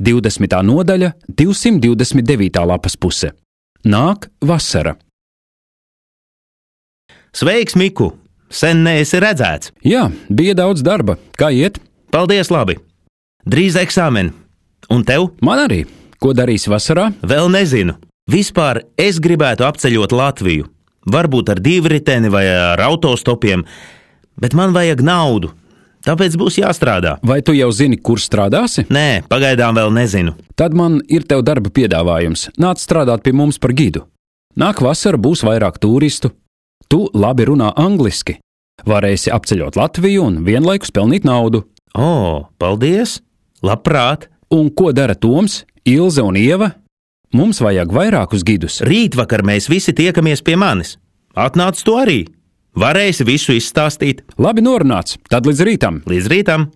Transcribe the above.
20. nodaļa, 229. lapas puse. Nāk vasara. Sveiks, Miku! Sen neesi redzēts. Jā, bija daudz darba. Kā iet? Paldies, labi. Drīz eksāmeni. Un tev? Man arī. Ko darīsi vasarā? Vēl nezinu. Vispār es gribētu apceļot Latviju. Varbūt ar divriteni vai ar autostopiem, bet man vajag naudu. Tāpēc būs jāstrādā. Vai tu jau zini, kur strādāsi? Nē, pagaidām vēl nezinu. Tad man ir tev darba piedāvājums. Nāc strādāt pie mums par gidu. Nāk vasara, būs vairāk turistu. Tu labi runā angliski. Varēsi apceļot Latviju un vienlaikus pelnīt naudu. O, paldies! Labprāt! Un ko dara Toms, Ilze un Ieva? Mums vajag vairākus gidus. Rītvakar mēs visi tiekamies pie manis. Atnāc tu arī. Varēsi visu izstāstīt. Labi norunāts. Tad līdz rītam. Līdz rītam!